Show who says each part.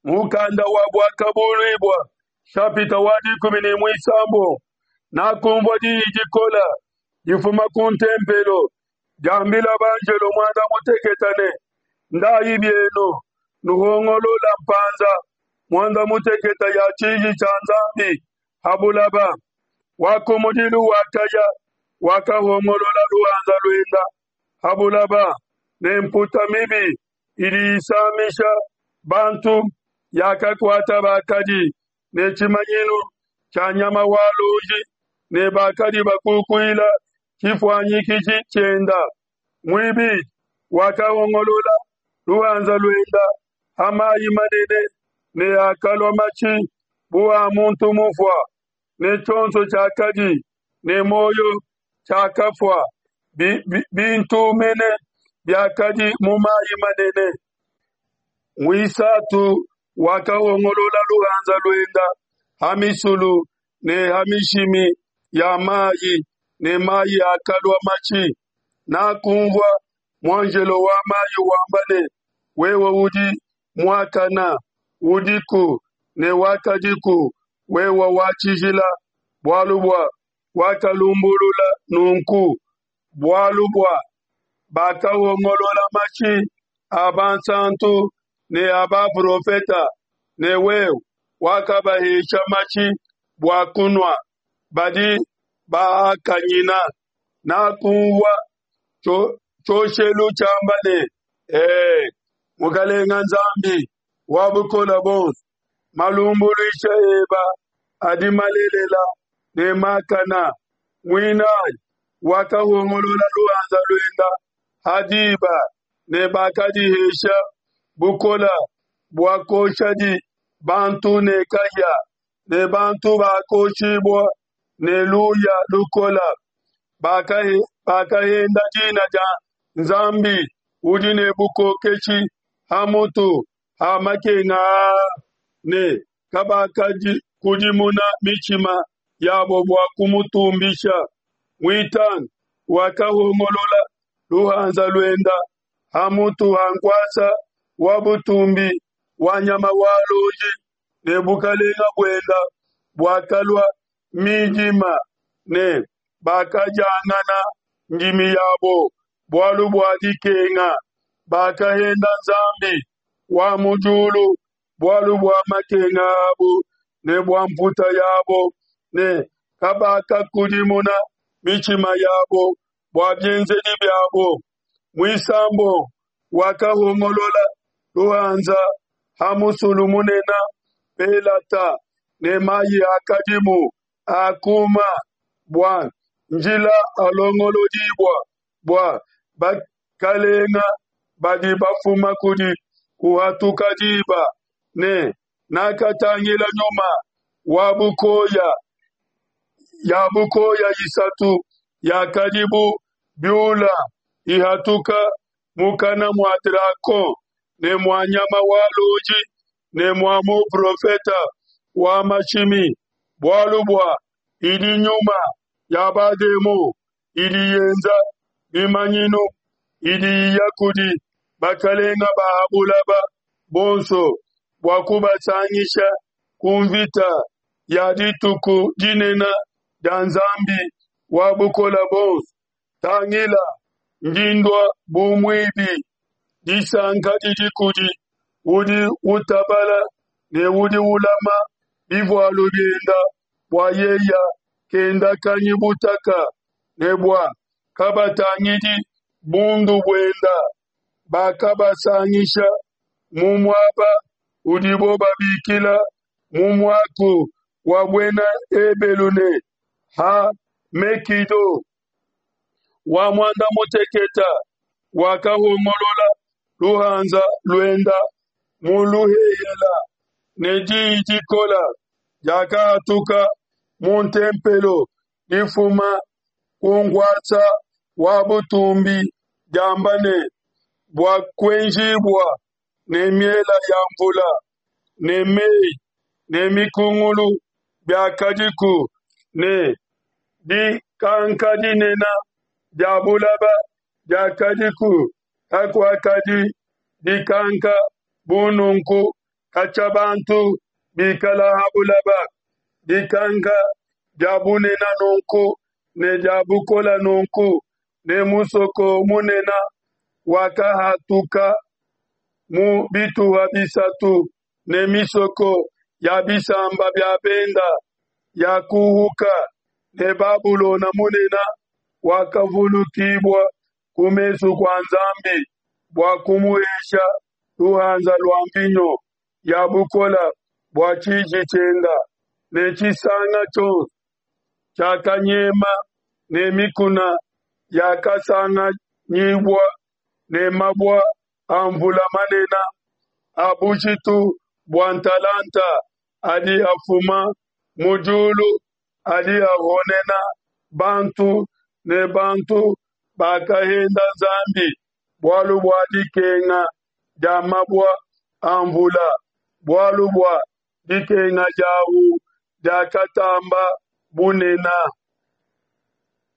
Speaker 1: Mukanda wa Buakabuluibua shapita wa dikumi ne muisambombo Nakumvua diyi dikola difuma ku ntempelo diambila banjelo muanda mutekete ne, Ndayi bienu, nuhongolola mpanza muanda mutekete ya tshiji tshia Nzambi ha bulaba. Wa kumudilu wakaya, wakahongolola luhanza luenda ha bulaba, ne mputa mibi idi isamisha bantu yakakuata bakadi ne tshimanyinu tshia nyama wa luonji ne bakadi bakukuila tshifuanyikiji tshienda. Muibidi wakahongolola luhanza luenda ha mayi manene ne akalua matshi bu a muntu mufua, ne tshionso tshiakadi ne muoyo tshiakafua, bintu mene biakadi mu mayi manene. Muisatu wakahongolola luhanza luenda ha misulu ne ha mishimi ya mayi, ne mayi akalua matshi. Nakunvua muanjelo wa mayi wamba ne, Wewe udi muakana, udiku ne wakadiku, wewe wa tshijila, bualu bua wakalumbulula nunku, bualu bua bakahongolola mashi a bansantu ne a baprofeta, ne wewe wakabahesha mashi bua kunua, badi baakanyina. Nakunvua tshioshelu tshiamba ne, E, Mukalenga Nzambi wa Bukole Buonso, malumbuluisha eba adi malelela ne makana. Muinayi wakahongolola luhanza luenda ha diba, ne bakadihesha bukola bua kuoshadi bantu ne kahia, ne bantu bakoshibua ne luya lukola. Bakahenda dina dia Nzambi udi ne bukokeshi ha mutu ha makenga aa, ne kabakakudimuna mitshima yabo bua kumutumbisha. Muitanu wakahongolola luhanza luenda ha mutu ha nkuasa wa butumbi wa nyama wa luonji, ne bukalenga buenda buakalua midima, ne bakadiangana ndimi yabo bualu bua dikenga. Bakahenda Nzambi wa mu diulu bualu bua makenga abo ne bua mputa yabo, ne kabakakudimuna mitshima yabo bua bienzedi biabo. Muisambombo wakahongolola luhanza ha musulu munene Pelata, ne mayi akadimu akuma, bua njila alongolodibua bua bakalenga badi bafuma kudi kuhatuka diba. Ne nakatangila nyuma wa bukoya ya bukoya isatu yakadi bu biula ihatuka mukana mua dragon ne mua nyama wa luonji ne mua muprofete wa mashimi, bualu bua idi nyuma ya bademon idi yenza bimanyinu, idi iya kudi bakalenga ba ha bulaba bonso bua kubasangisha ku mvita ya dituku dinene dia Nzambi wa Bukole Buonso. Tangila, ndi ndua bu muibi. Disanka didi kudi udi utabala ne udi ulama bivualu bienda, bua yeya kendakanyi butaka, ne bua kabatangidi bundu buenda. Bakabasangisha mu muaba udibo babikila mu muaku wa buena Ebelu ne, Ha Megido. Wa muanda mutekete wakahongolola luhanza luenda mu luhehela, ne diyi dikola diakahatuka mu ntempelo difuma ku nkuasa wa butumbi diamba ne, Buakuenjibua ne miela ya nvula ne mei ne mikungulu biakadiku, ne dikanka dinene dia bulaba diakadiku, kakuakadi dikanka bu nunku. Katshia bantu bikala ha bulaba, dikanka dia bunena nunku ne dia bukola nunku, ne musoko munena wakahatuka mu bituha bisatu, ne misoko ya bisamba bia benda yakuhuka, ne Babulona munene wakavulukibua ku mesu kua Nzambi bua kumuhesha luhanza lua nvinyo ya bukole bua tshiji tshienda, ne tshisanga tshionso tshiakanyema, ne mikuna yakasanganyibua ne mabua a mvula manene a bujitu bua ntalanta adi afuma mu diulu adi ahonena bantu, ne bantu bakahenda Nzambi bualu bua dikenga dia mabua a mvula, bualu bua dikenga diau diakatamba bunene.